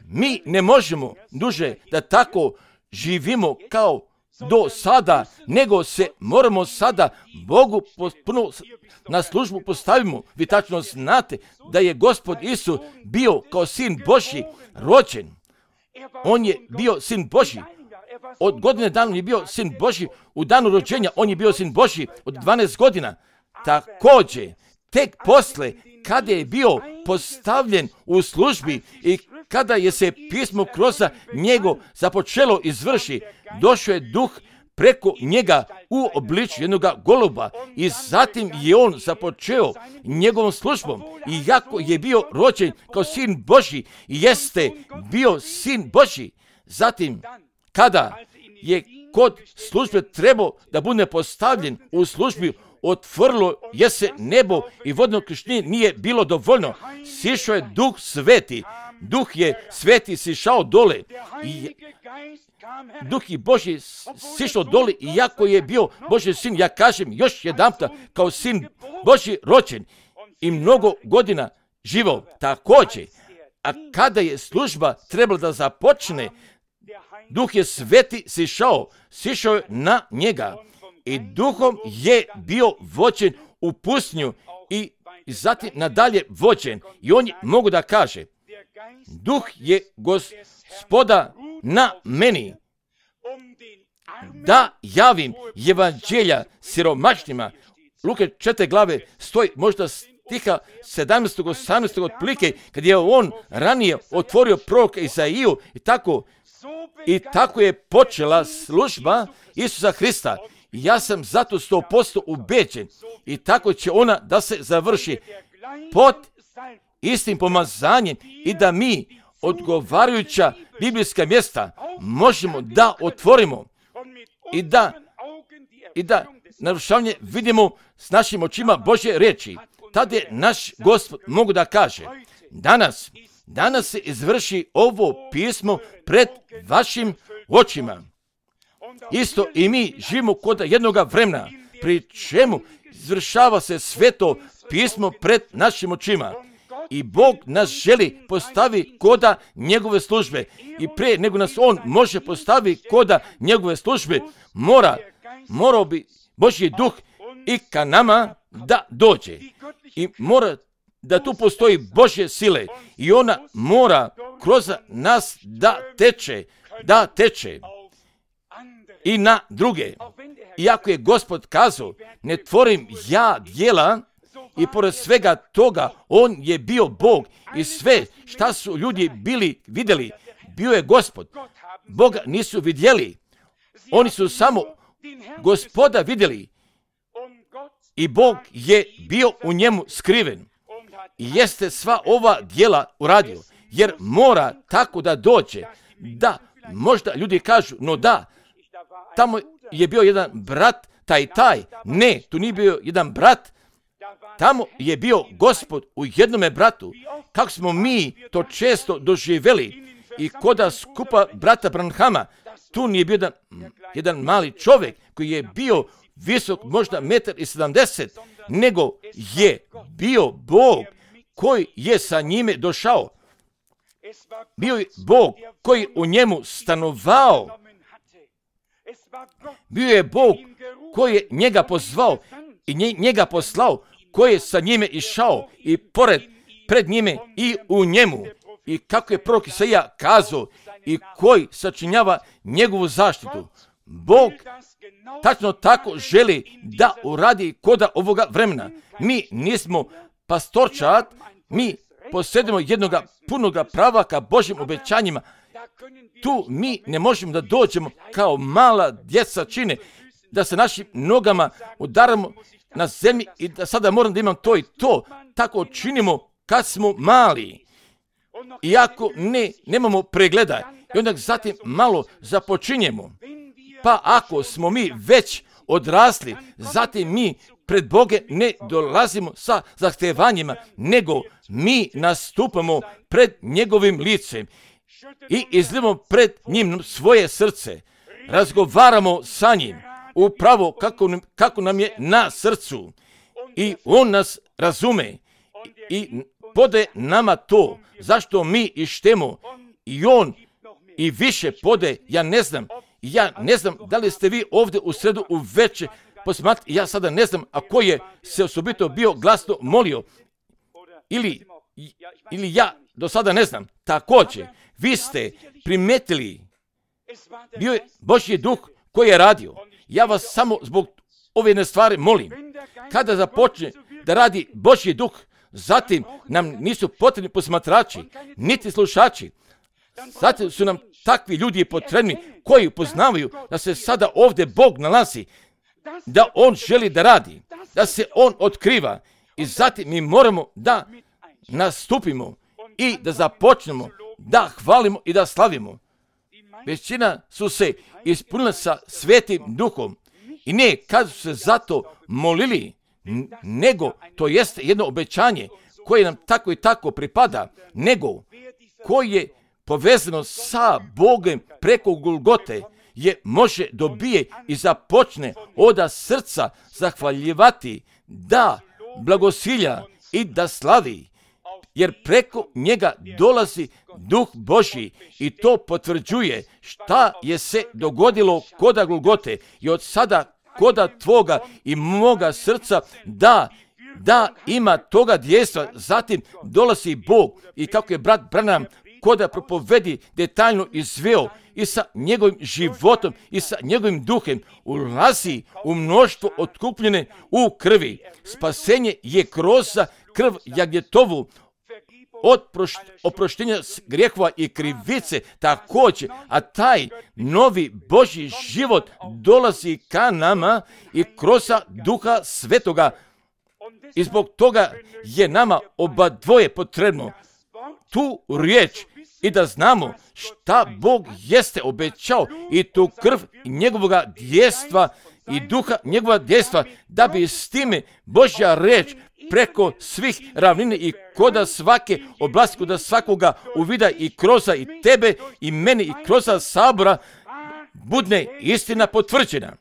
Mi ne možemo duže da tako živimo kao do sada, nego se moramo sada Bogu potpuno na službu postavimo. Vi tačno znate da je Gospod Isus bio kao sin Božji rođen. On je bio sin Božji. Od godine dana je bio sin Božji. U danu rođenja on je bio sin Božji od 12 godina. Također, tek posle, kada je bio postavljen u službi i kada je se pismo kroz njego započelo izvrši, došao je duh preko njega u obličju jednog goluba i zatim je on započeo njegovom službom. I jako je bio rođen kao sin Božji, jeste bio sin Božji. Zatim, kada je kod službe trebao da bude postavljen u službi, otvorilo je se nebo i vodno krštenje nije bilo dovoljno. Sišao je Duh Sveti. Duh je Sveti sišao dole. Duh i Božji sišao dole i jako je bio Božji sin, ja kažem još jedanputa, kao sin Božji rođen i mnogo godina živao. Također, A kada je služba trebala da započne, Duh je Sveti sišao je na njega i Duhom je bio vođen u pustinju i zatim nadalje vođen. I on je mogu da kaže, Duh je Gospoda na meni, da javim evanđelja siromašnima. Luke 4 glave stoji možda stiha 17. 18. otprilike, kad je on ranije otvorio proroka Isaiju i tako je počela služba Isusa Hrista. Ja sam zato 100% ubeđen i tako će ona da se završi pod istim pomazanjem i da mi odgovarajuća biblijska mjesta možemo da otvorimo i da narušavanje vidimo s našim očima Božje riječi. Tada je naš Gospod mogu da kaže, danas se izvrši ovo pismo pred vašim očima. Isto i mi živimo kod jednoga vremena, pri čemu izvršava se sve to pismo pred našim očima. I Bog nas želi postavi koda njegove službe. I prije nego nas on može postavi koda njegove službe, morao bi Božji duh i ka nama da dođe. I mora da tu postoji Božje sile i ona mora kroz nas da teče i na druge. Iako je Gospod kazao, ne tvorim ja djela, i pored svega toga, on je bio Bog i sve šta su ljudi vidjeli, bio je Gospod. Boga nisu vidjeli, oni su samo Gospoda vidjeli i Bog je bio u njemu skriven. I jeste sva ova djela uradio, jer mora tako da dođe, da možda ljudi kažu, no da, tamo je bio jedan brat, taj. Ne, tu nije bio jedan brat, tamo je bio Gospod u jednome bratu. Kako smo mi to često doživjeli i koda skupa brata Branhama, tu nije bio jedan mali čovjek koji je bio visok možda 1,70 m, nego je bio Bog koji je sa njime došao. Bio je Bog koji u njemu stanovao. Bio je Bog koji je njega pozvao i njega poslao, koji je sa njime išao i pred njime i u njemu. I kako je prorok Isaija kazao i koji sačinjava njegovu zaštitu. Bog tačno tako želi da uradi koda ovoga vremena. Mi nismo pastorčat, mi posjedimo jednoga punoga prava ka Božjim obećanjima. Tu mi ne možemo da dođemo kao mala djeca čine, da se našim nogama udaramo na zemlji i da sada moram da imam to i to. Tako činimo kad smo mali. Iako nemamo pregleda i onda zatim malo započinjemo. Pa ako smo mi već odrasli, zatim mi pred Boge ne dolazimo sa zahtevanjima, nego mi nastupamo pred njegovim licem i izlivamo pred njim svoje srce. Razgovaramo sa njim upravo kako nam je na srcu i on nas razume i podaje nama to zašto mi ištemo i on i više podaje. Ja ne znam da li ste vi ovdje u sredu uveče posmatrali, ja sada ne znam ako je se osobito bio glasno molio ili ja do sada ne znam. Također, vi ste primetili, bio je Božji duh koji je radio. Ja vas samo zbog ove jedne stvari molim. Kada započne da radi Božji duh, zatim nam nisu potrebni posmatrači, niti slušači. Zatim su nam takvi ljudi potrebni koji upoznavaju da se sada ovdje Bog nalazi, da On želi da radi, da se On otkriva i zatim mi moramo da nastupimo i da započnemo, da hvalimo i da slavimo. Većina su se ispunila sa Svetim Duhom i ne kad su se zato molili, nego to jeste jedno obećanje koje nam tako i tako pripada, nego koje je povezano sa Bogom preko Golgote, je može dobije i započne od srca zahvaljivati, da blagosilja i da slavi jer preko njega dolazi Duh Božji i to potvrđuje šta je se dogodilo koda Golgote i od sada koda tvoga i moga srca da ima toga djejstva. Zatim dolazi Bog i kako je brat Branham koda propovedi detaljno izveo i sa njegovim životom i sa njegovim duhem ulazi u mnoštvo otkupljene u krvi. Spasenje je kroz krv jagnjetovu od oproštenja grijehova i krivice također, a taj novi Božji život dolazi ka nama i kroz Duha Svetoga. I zbog toga je nama oba dvoje potrebno tu riječ i da znamo šta Bog jeste obećao i tu krv njegovoga djestva i duha njegova djestva, da bi s time Božja riječ preko svih ravnine i koda svake oblasti, koda svakoga uvida i kroza i tebe i meni i kroza sabora budne istina potvrđena.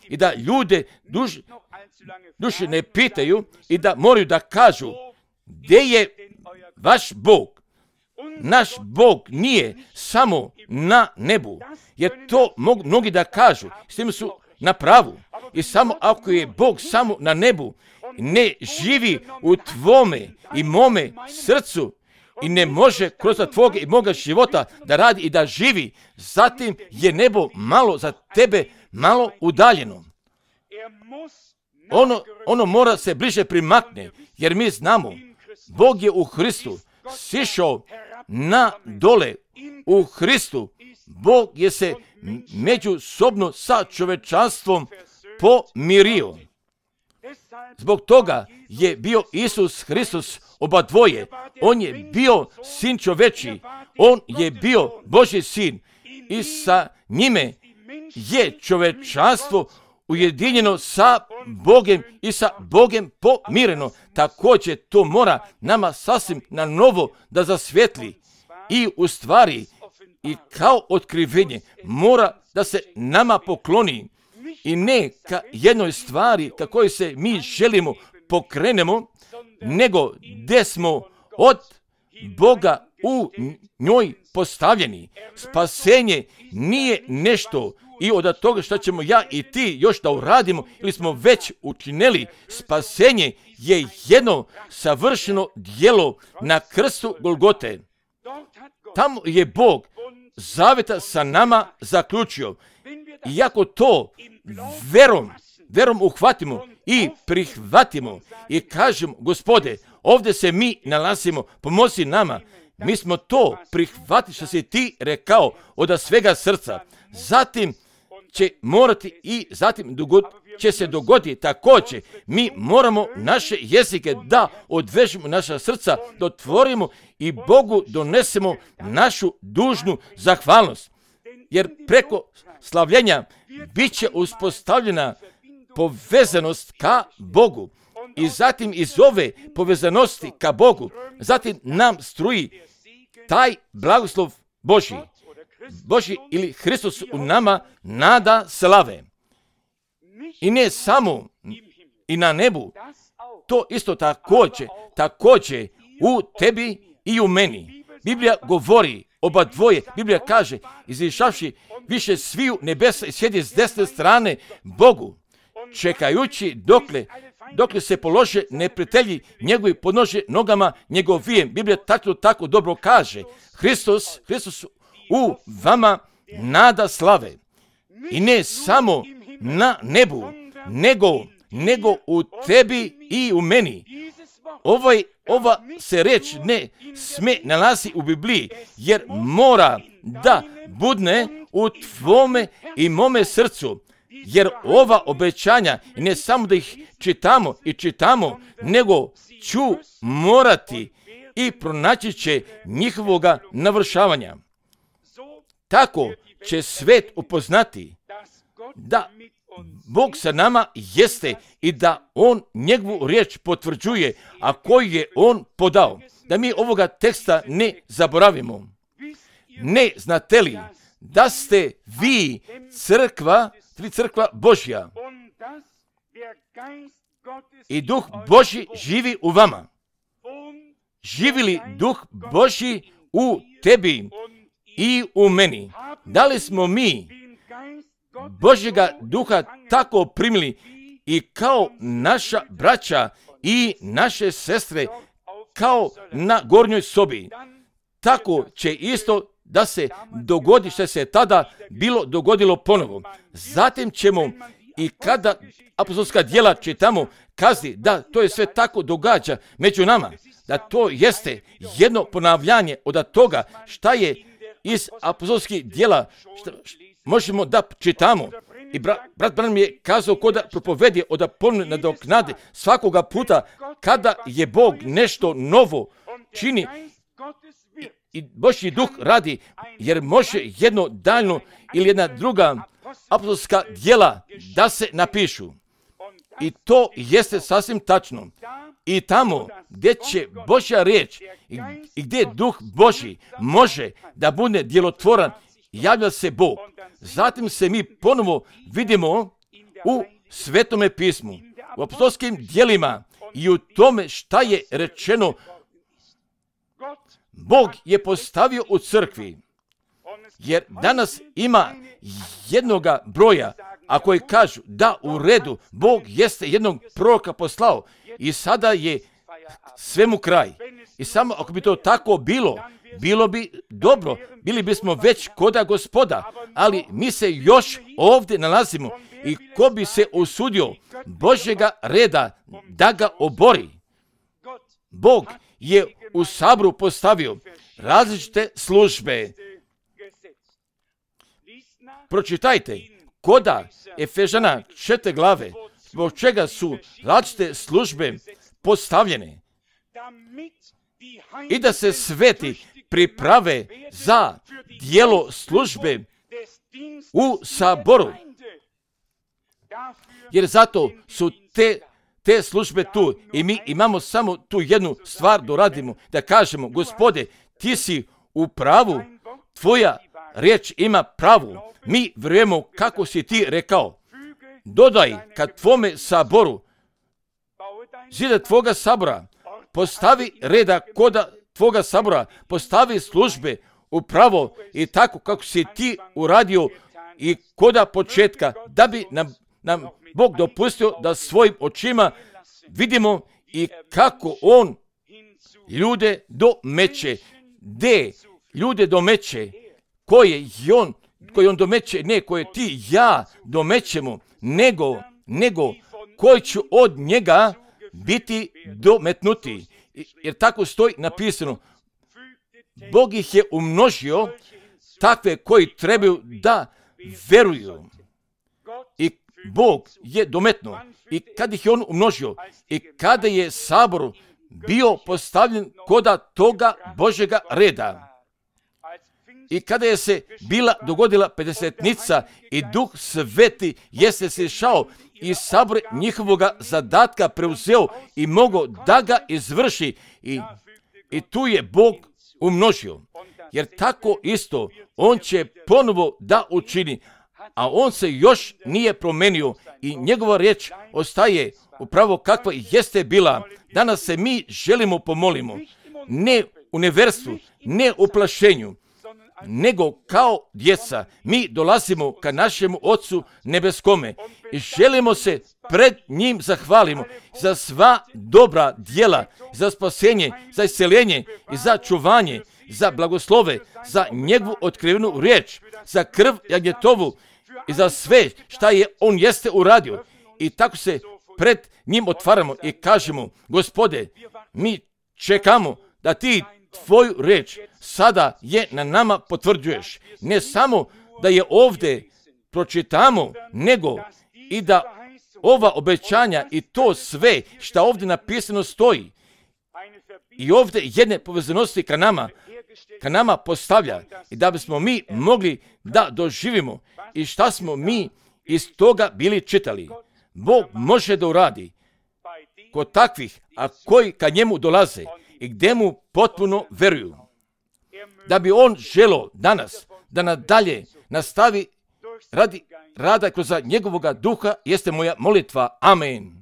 I da ljude duše ne pitaju i da moraju da kažu gdje je vaš Bog. Naš Bog nije samo na nebu, jer to mnogi da kažu, s tim su na pravu. I samo ako je Bog samo na nebu, ne živi u tvome i mome srcu i ne može kroz tvoga i moga života da radi i da živi, zatim je nebo malo za tebe malo udaljeno. Ono mora se bliže primakne, jer mi znamo, Bog je u Hristu sišao na dole u Hristu. Bog je se međusobno sa čovečanstvom pomirio. Zbog toga je bio Isus Hristos oba dvoje. On je bio sin čoveči. On je bio Božji sin. I sa njime je čovečanstvo ujedinjeno sa Bogem i sa Bogem pomireno. Također to mora nama sasvim na novo da zasvjetli. I u stvari i kao otkrivenje mora da se nama pokloni. I ne ka jednoj stvari ka kojoj se mi želimo pokrenemo, nego gdje smo od Boga u njoj postavljeni. Spasenje nije nešto i od toga što ćemo ja i ti još da uradimo ili smo već učinili. Spasenje je jedno savršeno djelo na krstu Golgote. Tamo je Bog zaveta sa nama zaključio. I ako to verom uhvatimo i prihvatimo i kažemo, Gospode, ovdje se mi nalazimo, pomozi nama, mi smo to prihvatili što si ti rekao od svega srca. Zatim će morati i zatim će se dogoditi također. Mi moramo naše jezike da odvežemo naša srca, da otvorimo i Bogu donesemo našu dužnu zahvalnost. Jer preko slavljenja bit će uspostavljena povezanost ka Bogu. I zatim iz ove povezanosti ka Bogu, zatim nam struji taj blagoslov Božji ili Hristos u nama nada slave. I ne samo i na nebu, to isto također u tebi i u meni. Biblija govori oba dvoje. Biblija kaže, izišavši više sviju nebesa i sjedi s desne strane Bogu, čekajući dokle se polože neprijatelji njegovi podnože nogama njegovijem. Biblija tako dobro kaže, Hristos u vama nada slave. I ne samo na nebu, nego u tebi i u meni. Ova se reč ne sme nalazi u Bibliji, jer mora da budne u tvome i mome srcu. Jer ova obećanja, ne samo da ih čitamo, nego ću morati i pronaći će njihovoga navršavanja. Tako će svet upoznati da Bog sa nama jeste i da On njegovu riječ potvrđuje, a koju je On podao. Da mi ovoga teksta ne zaboravimo. Ne znate li da ste vi crkva Božja i Duh Božji živi u vama. živi li Duh Božji u tebi i u meni? Da li smo mi Božjega Duha tako primili i kao naša braća i naše sestre, kao na gornjoj sobi? Tako će isto da se dogodi što se tada bilo dogodilo ponovo. Zatim ćemo, i kada apostolska djela čitamo, kazi da to je sve tako događa među nama, da to jeste jedno ponavljanje od toga šta je iz apostolskih djela možemo da čitamo. I brat Branham je kazao ko da propovedi od ponovne nadoknade svakoga puta kada je Bog nešto novo čini i Božji Duh radi, jer može jedno daljno ili jedna druga apostolska djela da se napišu. I to jeste sasvim tačno. I tamo gdje će Božja riječ i gdje Duh Božji može da bude djelotvoran, javlja se Bog. Zatim se mi ponovo vidimo u Svetome pismu, u apostolskim djelima i u tome šta je rečeno. Bog je postavio u crkvi, jer danas ima jednoga broja, a koji kažu da u redu, Bog jeste jednog proroka poslao i sada je svemu kraj. I samo ako bi to tako bilo bi dobro, bili bismo već koda Gospoda, ali mi se još ovdje nalazimo i ko bi se usudio Božjega reda da ga obori? Bog je u Saboru postavio različite službe. Pročitajte koda Efežana 4. glave, zbog čega su različite službe postavljene i da se sveti priprave za djelo službe u Saboru. Jer zato su te službe tu i mi imamo samo tu jednu stvar da radimo, da kažemo: Gospode, ti si u pravu, tvoja riječ ima pravu, mi vjerujemo kako si ti rekao. Dodaj kad tvome saboru, zida tvoga sabora, postavi reda koda tvoga sabora, postavi službe upravo i tako kako si ti uradio i koda početka, da bi nam Bog dopustio da svojim očima vidimo i kako On ljude domeće. Gdje ljude domeće, koje on domeće, ne koje ti ja domećemo, nego koji će od njega biti dometnuti. Jer tako stoji napisano. Bog ih je umnožio, takve koji trebaju da veruju. I Bog je dometnuo. I kad ih je on umnožio, i kada je sabor bio postavljen koda toga Božjega reda, i kada je se bila dogodila pedesetnica i Duh Sveti jeste se šao i sabor njihovoga zadatka preuzeo i mogao da ga izvrši i tu je Bog umnožio. Jer tako isto On će ponovo da učini, a On se još nije promenio i njegova riječ ostaje upravo kakva jeste bila. Danas se mi želimo pomolimo, ne u neverstvu, ne u plašenju, nego kao djeca mi dolazimo ka našemu Ocu nebeskome i želimo se pred njim zahvalimo za sva dobra djela, za spasenje, za isceljenje i za čuvanje, za blagoslove, za njegovu otkrivenu riječ, za krv jagnjetovu i za sve šta je on jeste uradio. I tako se pred njim otvaramo i kažemo: Gospode, mi čekamo da ti tvoju reč sada je na nama potvrđuješ. Ne samo da je ovdje pročitamo, nego i da ova obećanja i to sve što ovdje napisano stoji i ovdje jedne povezanosti ka nama postavlja i da bismo mi mogli da doživimo i šta smo mi iz toga bili čitali. Bog može da uradi kod takvih, a koji ka njemu dolaze i gdje mu potpuno veruju. Da bi on želio danas da nadalje nastavi radi rada kroz njegovoga duha, jeste moja molitva. Amen.